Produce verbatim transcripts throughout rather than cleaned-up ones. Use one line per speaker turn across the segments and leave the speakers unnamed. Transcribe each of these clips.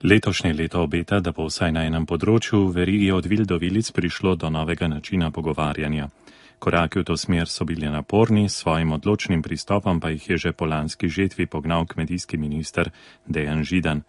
Letošnje leto obeta, da bo vsaj na enem področju v verigi od vil do vilic prišlo do novega načina pogovarjanja. Koraki v to smer so bili naporni, s svojim odločnim pristopom pa jih je že po lanski žetvi pognal kmetijski minister Dejan Židan.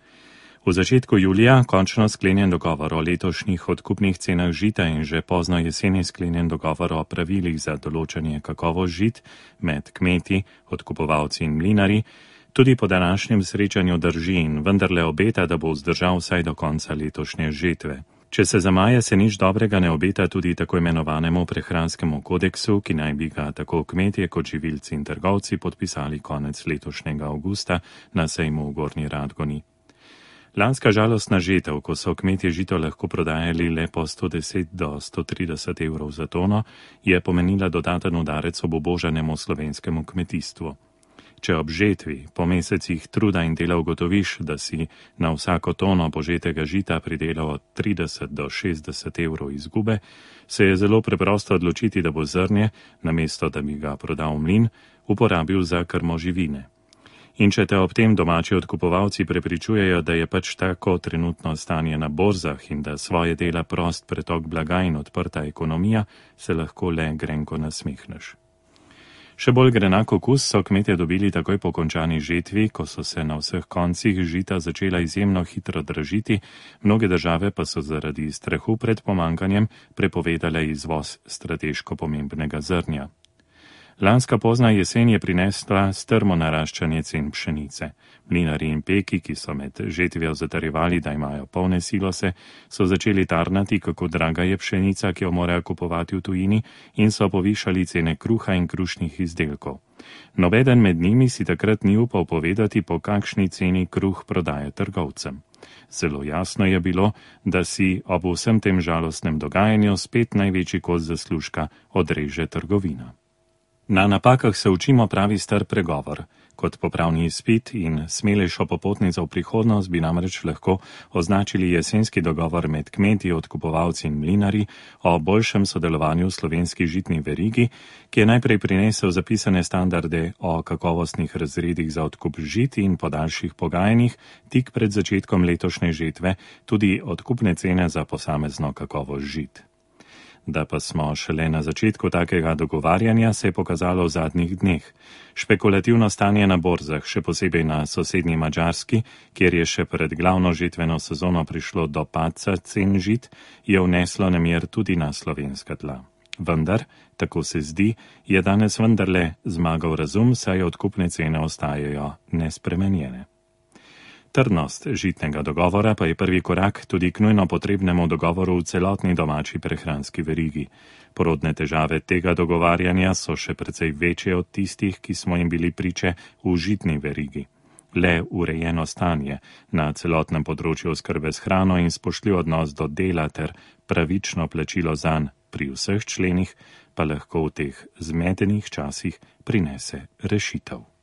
V začetku julija končno sklenjen dogovor o letošnjih odkupnih cenah žita in že pozno jeseni sklenjen dogovor o pravilih za določanje kakovost žit med kmeti, odkupovalci in mlinarji, tudi po današnjem srečanju drži in vendarle obeta, da bo vzdržal vsaj do konca letošnje žetve. Če se za maja se nič dobrega ne obeta tudi tako imenovanemu prehranskemu kodeksu, ki naj bi ga tako kmetje kot živilci in trgovci podpisali konec letošnjega avgusta na sejmu v Gornji Radgoni. Lanska žalostna žetev, ko so kmetje žito lahko prodajali le po sto deset do sto trideset evrov za tono, je pomenila dodaten udarec obubožanemu slovenskemu kmetijstvu. Če ob žetvi po mesecih truda in dela ugotoviš, da si na vsako tono požetega žita pridelal od trideset do šestdeset evrov izgube, se je zelo preprosto odločiti, da bo zrnje, namesto da bi ga prodal v mlin, uporabil za krmo živine. In če te ob tem domači odkupovalci prepričujejo, da je pač tako trenutno stanje na borzah in da svoje dela prost pretok blaga in odprta ekonomija, se lahko le grenko nasmehneš. Še bolj grenak okus so kmetje dobili takoj po končani žetvi, ko so se na vseh koncih žita začela izjemno hitro dražiti, mnoge države pa so zaradi strahu pred pomanjkanjem prepovedale izvoz strateško pomembnega zrnja. Lanska pozna jesen je prinesla strmo naraščanje cen pšenice. Mlinarji in peki, ki so med žetvijo zatrjevali, da imajo polne silose, so začeli tarnati, kako draga je pšenica, ki jo morajo kupovati v tujini, in so povišali cene kruha in krušnih izdelkov. Nobeden med njimi si takrat ni upal povedati, po kakšni ceni kruh prodaje trgovcem. Zelo jasno je bilo, da si ob vsem tem žalostnem dogajanju spet največji kos zaslužka odreže trgovina. Na napakah se učimo, pravi star pregovor. Kot popravni izpit in smelejšo popotnico v prihodnost bi namreč lahko označili jesenski dogovor med kmeti, odkupovalci in mlinarji o boljšem sodelovanju v slovenski žitni verigi, ki je najprej prinesel zapisane standarde o kakovostnih razredih za odkup žit in po daljših pogajanjih tik pred začetkom letošnje žetve tudi odkupne cene za posamezno kakovost žit. Da pa smo šele na začetku takega dogovarjanja, se je pokazalo v zadnjih dneh. Špekulativno stanje na borzah, še posebej na sosednji Madžarski, kjer je še pred glavno žetveno sezono prišlo do padca cen žit, je vneslo nemir tudi na slovenska tla. Vendar, tako se zdi, je danes vendarle zmagal razum, saj odkupne cene ostajajo nespremenjene. Trdnost žitnega dogovora pa je prvi korak tudi k nujno potrebnemu dogovoru v celotni domači prehranski verigi. Porodne težave tega dogovarjanja so še precej večje od tistih, ki smo jim bili priče v žitni verigi. Le urejeno stanje na celotnem področju oskrbe s hrano in spoštljiv odnos do dela ter pravično plačilo zanj pri vseh členih pa lahko v teh zmedenih časih prinese rešitev.